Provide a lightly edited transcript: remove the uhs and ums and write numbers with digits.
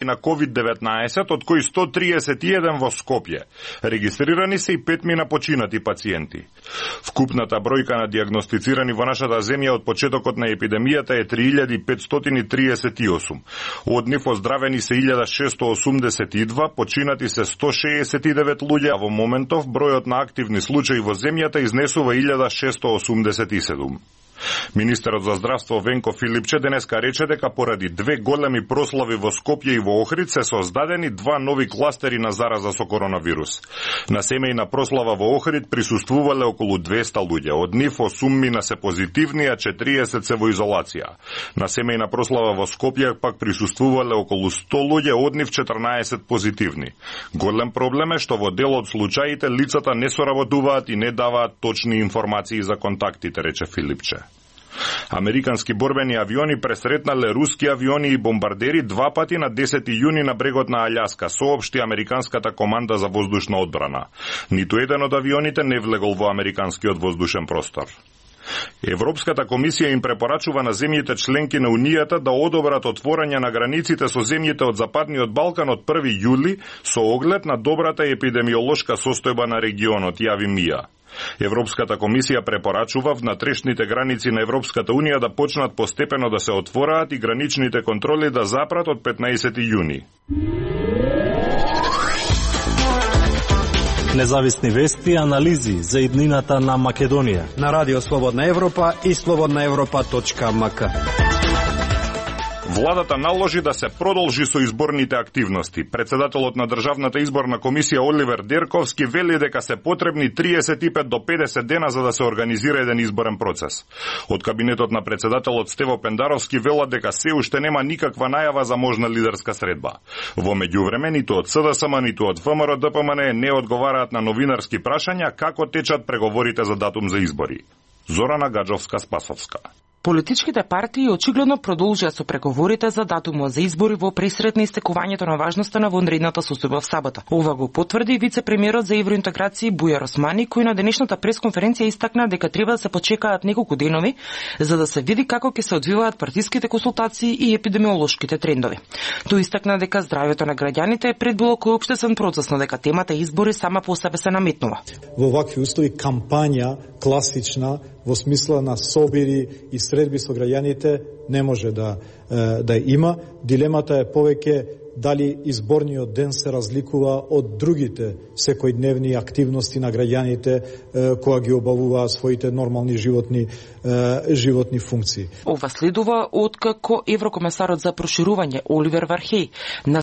на COVID-19, од кои 131 во Скопје. Регистрирани се и 5 починати пациенти. Вкупната бројка на диагностицирани во нашата земја од почетокот на епидемијата е 3538. Од нив оздравени се 1682, починати се 169 луѓе, а во моментов бројот на активни случаи во земјата изнесува 1687. Министерот за здравство Венко Филипче денеска рече дека поради две големи прослави во Скопје и во Охрид се создадени 2 нови кластери на зараза со коронавирус. На семејна прослава во Охрид присуствувале околу 200 луѓе, од нив 8 се позитивни, а 40 се во изолација. На семејна прослава во Скопје пак присуствувале околу 100 луѓе, од нив 14 позитивни. Голем проблем е што во дел од случаите лицата не соработуваат и не даваат точни информации за контактите, рече Филипче. Американски борбени авиони пресретнале руски авиони и бомбардери 2 пати на 10 јуни на брегот на Алјаска, соопшти Американската команда за воздушна одбрана. Ниту еден од авионите не влегол во американскиот воздушен простор. Европската комисија им препорачува на земјите членки на Унијата да одобрат отворање на границите со земјите од Западниот Балкан од 1 јули со оглед на добрата епидемиолошка состојба на регионот, јави МИА. Европската комисија препорачува внатрешните граници на Европската Унија да почнат постепено да се отвораат и граничните контроли да запрат од 15 јуни. Независни вести и анализи за иднината на Македонија на Радио Слободна Европа и slobodnaevropa.mk. Владата наложи да се продолжи со изборните активности. Председателот на Државната изборна комисија Оливер Дерковски вели дека се потребни 35 до 50 дена за да се организира еден изборен процес. Од кабинетот на председателот Стево Пендаровски велат дека се уште нема никаква најава за можна лидерска средба. Во меѓувреме ниту од СДСМ, ниту од ВМРО ДПМН не одговараат на новинарски прашања како течат преговорите за датум за избори. Зорана Гаджовска-Спасовска. Политичките партии очигледно продолжија со преговорите за датумот за избори во пресред на истекувањето на важноста на вонредната состојба в сабота. Ова го потврди вице-премиерот за евроинтеграција Бујар Османи, кој на денешната пресконференција истакна дека треба да се почекаат неколку денови за да се види како ќе се одвиваат партиските консултации и епидемиолошките трендови. Тој истакна дека здравјето на граѓаните е пред било кој општествен процес, но дека темата избори сама по себе се наметнува. Во вакви услови кампања класична во смисла на собири и средби со граѓаните не може да има. Дилемата е повеќе дали изборниот ден се разликува од другите секојдневни активности на граѓаните кои ги обавуваат своите нормални животни функции. Ова следува откако еврокомесарот за проширување Оливер Вархеј